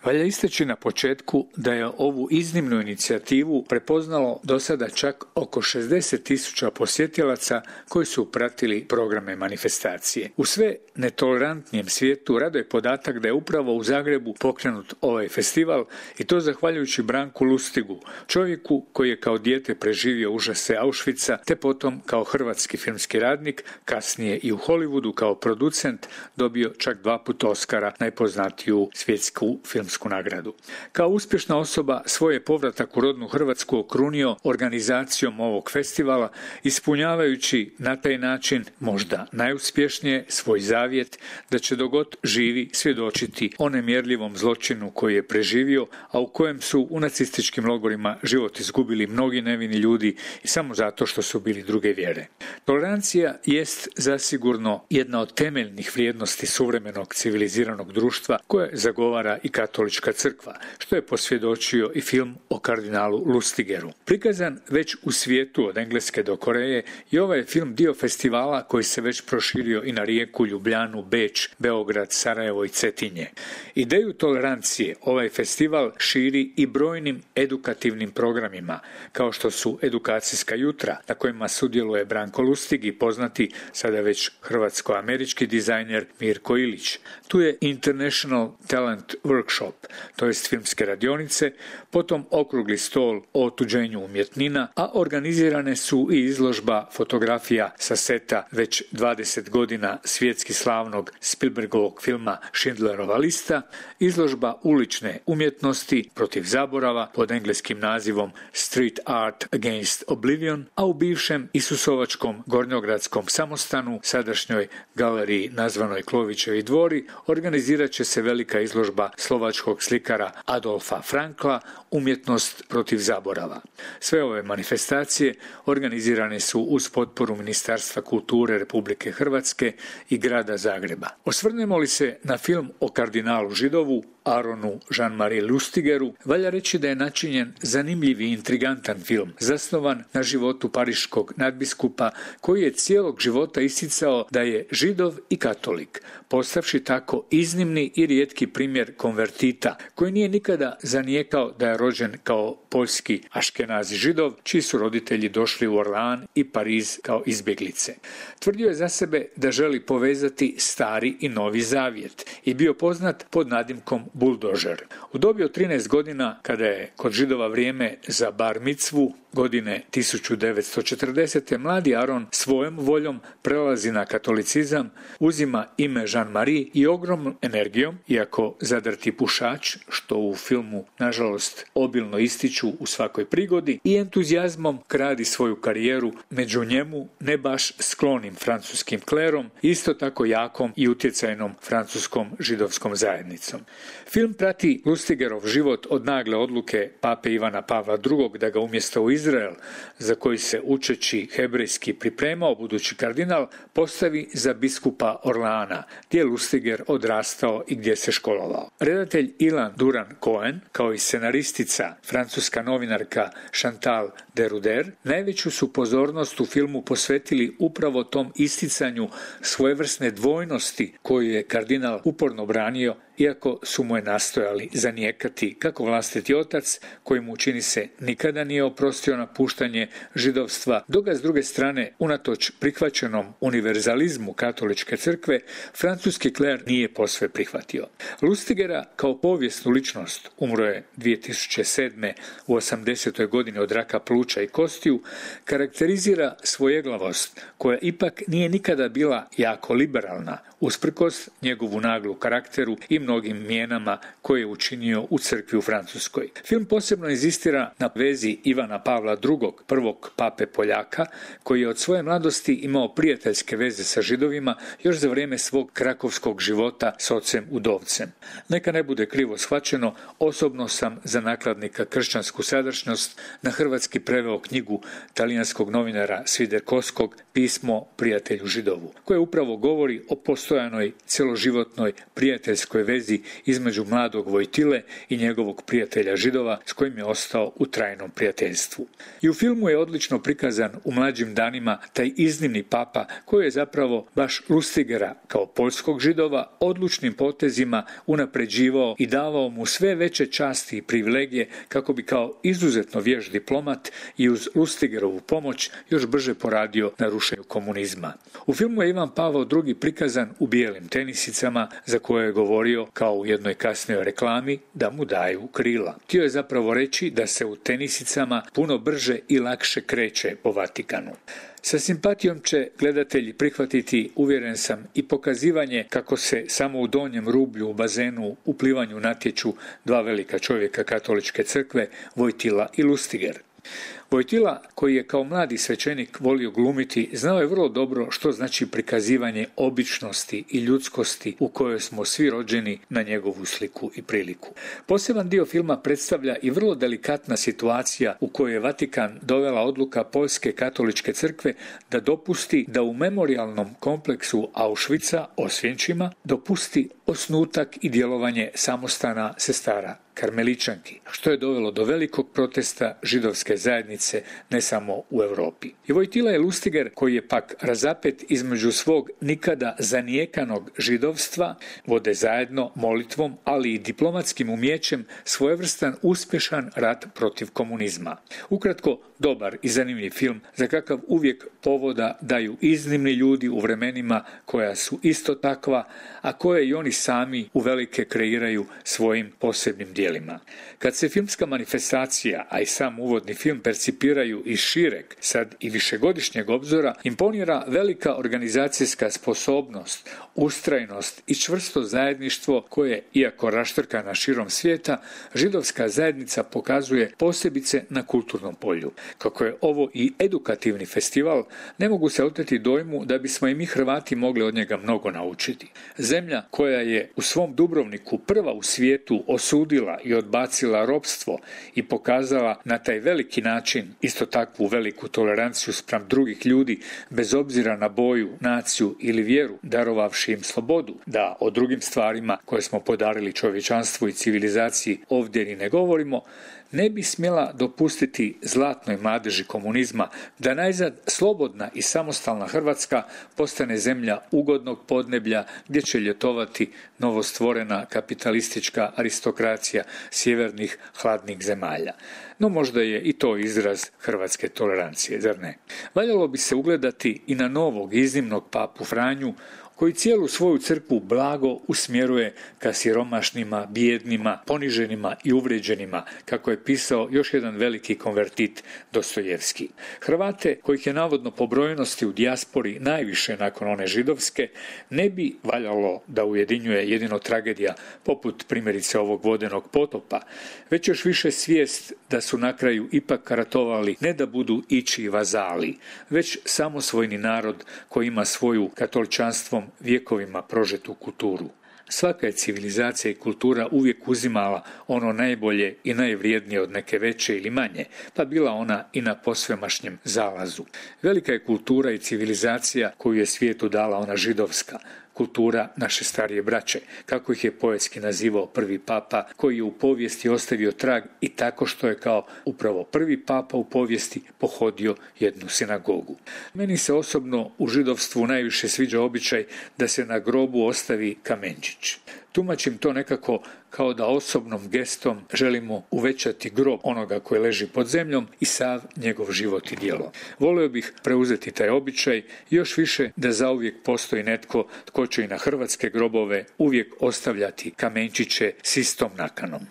Valja istaći na početku da je ovu iznimnu inicijativu prepoznalo do sada čak oko 60.000 posjetilaca koji su pratili programe manifestacije. U sve netolerantnijem svijetu raduje podatak da je upravo u Zagrebu pokrenut ovaj festival i to zahvaljujući Branku Lustigu, čovjeku koji je kao dijete preživio užase Auschwitza te potom kao hrvatski filmski radnik, kasnije i u Hollywoodu kao producent dobio čak 2 puta Oscara, najpoznatiju svjetsku filmsku nagradu. Kao uspješna osoba svoj je povratak u rodnu Hrvatsku okrunio organizacijom ovog festivala, ispunjavajući na taj način možda najuspješnije svoj zavjet da će dok god živi svjedočiti o nemjerljivom zločinu koji je preživio, a u kojem su u nacističkim logorima život izgubili mnogi nevini ljudi i samo zato što su bili druge vjere. Tolerancija jest zasigurno jedna od temeljnih vrijednosti suvremenog civiliziranog društva koje zagovara i katolička crkva, što je posvjedočio i film o kardinalu Lustigeru. Prikazan već u svijetu od Engleske do Koreje i ovaj je film dio festivala koji se već proširio i na Rijeku, Ljubljanu, Beč, Beograd, Sarajevo i Cetinje. Ideju tolerancije ovaj festival širi i brojnim edukativnim programima, kao što su edukacijska jutra na kojima sudjeluje Branko Lustig i poznati sada već hrvatsko-američki dizajner Mirko Ilić. Tu je International Talent Workshop, to jest filmske radionice, potom okrugli stol o otuđenju umjetnina, a organizirane su i izložba fotografija sa seta već 20 godina svjetski slavnog Spielbergovog filma Schindlerova lista, izložba ulične umjetnosti protiv zaborava pod engleskim nazivom Street Art Against Oblivion, a u bivšem Isusovačkom gornjogradskom samostanu, sadašnjoj galeriji nazvanoj Klovićevi dvori, organizirat će se velika izložba slovačkog slikara Adolfa Frankla Umjetnost protiv zaborava. Sve ove manifestacije organizirane su uz potporu Ministarstva kulture Republike Hrvatske i grada Zagreba. Osvrnemo li se na film o kardinalu Židovu, Aronu Jean-Marie Lustigeru, valja reći da je načinjen zanimljiv i intrigantan film, zasnovan na životu pariškog nadbiskupa koji je cijelog života isticao da je Židov i katolik, postavši tako iznimni i rijetki primjer konvertita, koji nije nikada zanijekao da je rođen kao poljski aškenazi Židov, čiji su roditelji došli u Orlean i Pariz kao izbjeglice. Tvrdio je za sebe da želi povezati stari i novi zavjet i bio poznat pod nadimkom Buldožer. U dobi od 13 godina, kada je kod Židova vrijeme za bar micvu, godine 1940. mladi Aron svojom voljom prelazi na katolicizam, uzima ime Jean-Marie i ogromnom energijom, iako zadrti pušač, što u filmu nažalost obilno ističu u svakoj prigodi, i entuzijazmom gradi svoju karijeru među njemu ne baš sklonim francuskim klerom, isto tako jakom i utjecajnom francuskom židovskom zajednicom. Film prati Lustigerov život od nagle odluke pape Ivana Pavla II da ga umjesto u Izrael, za koji se učeći hebrejski pripremao budući kardinal, postavi za biskupa Orleana, gdje je Lustiger odrastao i gdje se školovao. Redatelj Ilan Duran-Cohen, kao i scenaristica francuska novinarka Chantal Deruder, najveću su pozornost u filmu posvetili upravo tom isticanju svojevrsne dvojnosti koju je kardinal uporno branio, iako su mu je nastojali zanijekati kako vlastiti otac, koji mu čini se nikada nije oprostio napuštanje židovstva, dok ga s druge strane, unatoč prihvaćenom univerzalizmu katoličke crkve, francuski kler nije posve prihvatio. Lustigera kao povijesnu ličnost umro je 2007. u 80. godini od raka pluća i kostiju, karakterizira svojeglavost, koja ipak nije nikada bila jako liberalna, usprkos njegovu naglu karakteru i mnogim mijenama koje je učinio u crkvi u Francuskoj. Film posebno inzistira na vezi Ivana Pavla II, prvog pape Poljaka, koji je od svoje mladosti imao prijateljske veze sa Židovima još za vrijeme svog krakovskog života s ocem udovcem. Neka ne bude krivo shvaćeno, osobno sam za nakladnika Kršćansku sadašnjost na hrvatski preveo knjigu talijanskog novinara Sviderkovskog Pismo prijatelju Židovu, koje upravo govori o postojanoj cjeloživotnoj prijateljskoj vezi između mladog Vojtile i njegovog prijatelja Židova s kojim je ostao u trajnom prijateljstvu. I u filmu je odlično prikazan u mlađim danima taj iznimni papa koji je zapravo baš Lustigera kao poljskog Židova odlučnim potezima unapređivao i davao mu sve veće časti i privilegije kako bi kao izuzetno vješt diplomat i uz Lustigerovu pomoć još brže poradio na rušenju komunizma. U filmu je Ivan Pavao II prikazan u bijelim tenisicama za koje je govorio kao u jednoj kasnijoj reklami da mu daju krila. Htio je zapravo reći da se u tenisicama puno brže i lakše kreće po Vatikanu. Sa simpatijom će gledatelji prihvatiti, uvjeren sam, i pokazivanje kako se samo u donjem rublju u bazenu u plivanju natječu dva velika čovjeka katoličke crkve, Vojtila i Lustiger. Vojtila, koji je kao mladi svećenik volio glumiti, znao je vrlo dobro što znači prikazivanje običnosti i ljudskosti u kojoj smo svi rođeni na njegovu sliku i priliku. Poseban dio filma predstavlja i vrlo delikatna situacija u kojoj je Vatikan dovela odluka Poljske katoličke crkve da dopusti da u memorijalnom kompleksu Auschwitza Osvjenčima dopusti osnutak i djelovanje samostana sestara Karmeličanki, što je dovelo do velikog protesta židovske zajednice ne samo u Europi. I Vojtila je Lustiger, koji je pak razapet između svog nikada zanijekanog židovstva, vode zajedno molitvom, ali i diplomatskim umijećem svojevrstan uspješan rat protiv komunizma. Ukratko, dobar i zanimljiv film za kakav uvijek povoda daju iznimni ljudi u vremenima koja su isto takva, a koje i oni sami uvelike kreiraju svojim posebnim djelima. Kad se filmska manifestacija, a i sam uvodni film percipiraju iz šireg, sad i višegodišnjeg obzora, imponira velika organizacijska sposobnost, ustrajnost i čvrsto zajedništvo koje, iako raštrkana širom svijeta, židovska zajednica pokazuje posebice na kulturnom polju. Kako je ovo i edukativni festival, ne mogu se oteti dojmu da bismo i mi Hrvati mogli od njega mnogo naučiti. Zemlja koja je u svom Dubrovniku prva u svijetu osudila i odbacila ropstvo i pokazala na taj veliki način isto takvu veliku toleranciju spram drugih ljudi bez obzira na boju, naciju ili vjeru, darovavši im slobodu, da o drugim stvarima koje smo podarili čovječanstvu i civilizaciji ovdje ni ne govorimo, ne bi smjela dopustiti zlatnoj mladeži komunizma da najzad slobodna i samostalna Hrvatska postane zemlja ugodnog podneblja gdje će ljetovati novostvorena kapitalistička aristokracija sjevernih hladnih zemalja. No možda je i to izraz hrvatske tolerancije, zar ne? Valjalo bi se ugledati i na novog iznimnog papu Franju, koji cijelu svoju crkvu blago usmjeruje ka siromašnima, bijednima, poniženima i uvrijeđenima, kako je pisao još jedan veliki konvertit Dostojevski. Hrvate, kojih je navodno po brojnosti u dijaspori najviše nakon one židovske, ne bi valjalo da ujedinjuje jedino tragedija poput primjerice ovog vodenog potopa, već još više svijest da su na kraju ipak ratovali ne da budu ići vazali, već samosvojni narod koji ima svoju katoličanstvom vjekovima prožetu kulturu. Svaka je civilizacija i kultura uvijek uzimala ono najbolje i najvrijednije od neke veće ili manje, pa bila ona i na posvemašnjem zalazu. Velika je kultura i civilizacija koju je svijetu dala ona židovska, kultura naše starije braće, kako ih je poetski nazivao prvi papa, koji je u povijesti ostavio trag i tako što je kao upravo prvi papa u povijesti pohodio jednu sinagogu. Meni se osobno u židovstvu najviše sviđa običaj da se na grobu ostavi kamenčić. Tumačim to nekako kao da osobnom gestom želimo uvećati grob onoga koji leži pod zemljom i sav njegov život i djelo. Volio bih preuzeti taj običaj i još više da zauvijek postoji netko tko će i na hrvatske grobove uvijek ostavljati kamenčiće s istom nakanom.